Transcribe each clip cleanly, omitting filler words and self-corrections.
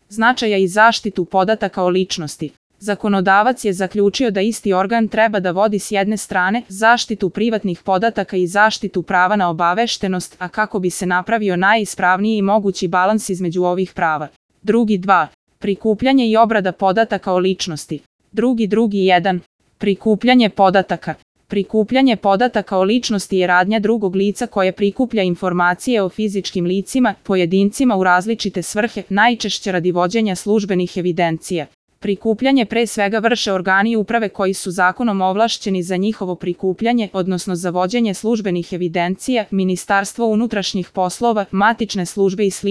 značaja i zaštitu podataka o ličnosti. Zakonodavac je zaključio da isti organ treba da vodi s jedne strane zaštitu privatnih podataka i zaštitu prava na obaveštenost, a kako bi se napravio najispravniji mogući balans između ovih prava. Drugi 2. Prikupljanje i obrada podataka o ličnosti. Drugi 1. Prikupljanje podataka. Prikupljanje podataka o ličnosti je radnja drugog lica koje prikuplja informacije o fizičkim licima, pojedincima u različite svrhe, najčešće radi vođenja službenih evidencija. Prikupljanje pre svega vrše organi uprave koji su zakonom ovlašćeni za njihovo prikupljanje, odnosno za vođenje službenih evidencija, Ministarstvo unutrašnjih poslova, matične službe i sl.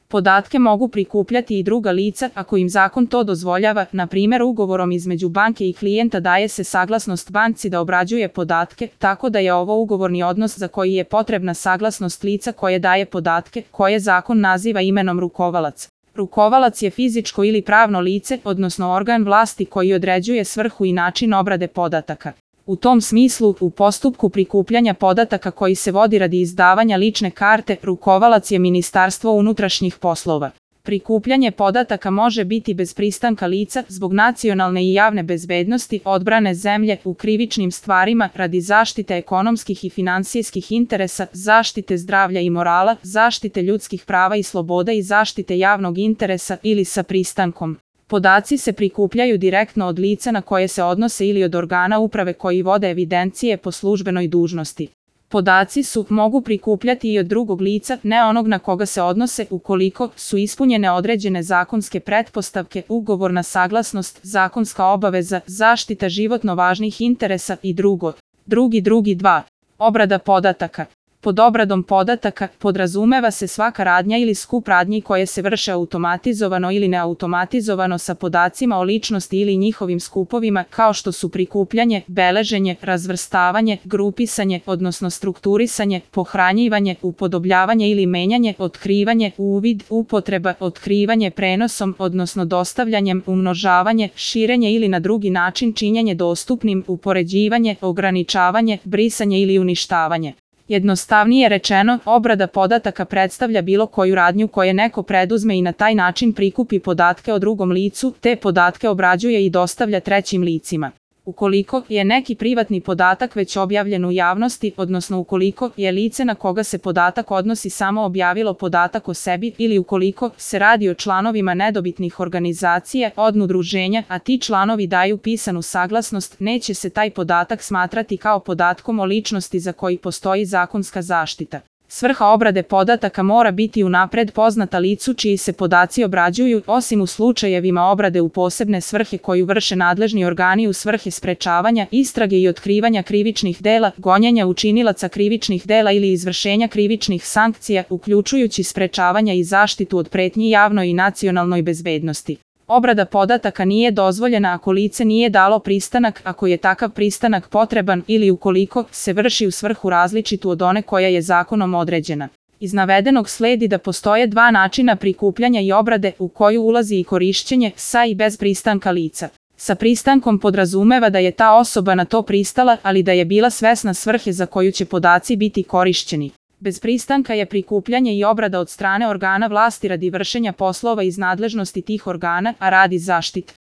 Podatke mogu prikupljati i druga lica ako im zakon to dozvoljava, na primjer ugovorom između banke i klijenta daje se saglasnost banci da obrađuje podatke, tako da je ovo ugovorni odnos za koji je potrebna saglasnost lica koje daje podatke, koje zakon naziva imenom rukovalac. Rukovalac je fizičko ili pravno lice, odnosno organ vlasti koji određuje svrhu i način obrade podataka. U tom smislu, u postupku prikupljanja podataka koji se vodi radi izdavanja lične karte, rukovalac je Ministarstvo unutrašnjih poslova. Prikupljanje podataka može biti bez pristanka lica zbog nacionalne i javne bezbednosti, odbrane zemlje, u krivičnim stvarima, radi zaštite ekonomskih i finansijskih interesa, zaštite zdravlja i morala, zaštite ljudskih prava i sloboda i zaštite javnog interesa ili sa pristankom. Podaci se prikupljaju direktno od lica na koje se odnose ili od organa uprave koji vode evidencije po službenoj dužnosti. Podaci mogu prikupljati i od drugog lica, ne onog na koga se odnose, ukoliko su ispunjene određene zakonske pretpostavke, ugovorna saglasnost, zakonska obaveza, zaštita životno važnih interesa i drugo. Drugi 2. Obrada podataka. Pod obradom podataka podrazumeva se svaka radnja ili skup radnji koje se vrše automatizovano ili neautomatizovano sa podacima o ličnosti ili njihovim skupovima, kao što su prikupljanje, beleženje, razvrstavanje, grupisanje, odnosno strukturisanje, pohranjivanje, upodobljavanje ili menjanje, otkrivanje, uvid, upotreba, otkrivanje prenosom, odnosno dostavljanjem, umnožavanje, širenje ili na drugi način činjenje dostupnim, upoređivanje, ograničavanje, brisanje ili uništavanje. Jednostavnije rečeno, obrada podataka predstavlja bilo koju radnju koje neko preduzme i na taj način prikupi podatke o drugom licu, te podatke obrađuje i dostavlja trećim licima. Ukoliko je neki privatni podatak već objavljen u javnosti, odnosno ukoliko je lice na koga se podatak odnosi samo objavilo podatak o sebi ili ukoliko se radi o članovima nedobitnih organizacija, udruženja, a ti članovi daju pisanu saglasnost, neće se taj podatak smatrati kao podatkom o ličnosti za koji postoji zakonska zaštita. Svrha obrade podataka mora biti unapred poznata licu čiji se podaci obrađuju, osim u slučajevima obrade u posebne svrhe koju vrše nadležni organi u svrhe sprečavanja, istrage i otkrivanja krivičnih dela, gonjenja učinilaca krivičnih dela ili izvršenja krivičnih sankcija, uključujući sprečavanja i zaštitu od pretnji javnoj i nacionalnoj bezbednosti. Obrada podataka nije dozvoljena ako lice nije dalo pristanak, ako je takav pristanak potreban ili ukoliko se vrši u svrhu različitu od one koja je zakonom određena. Iz navedenog sledi da postoje dva načina prikupljanja i obrade u koju ulazi i korišćenje sa i bez pristanka lica. Sa pristankom podrazumeva da je ta osoba na to pristala, ali da je bila svesna svrhe za koju će podaci biti korišćeni. Bez pristanka je prikupljanje i obrada od strane organa vlasti radi vršenja poslova iz nadležnosti tih organa, a radi zaštite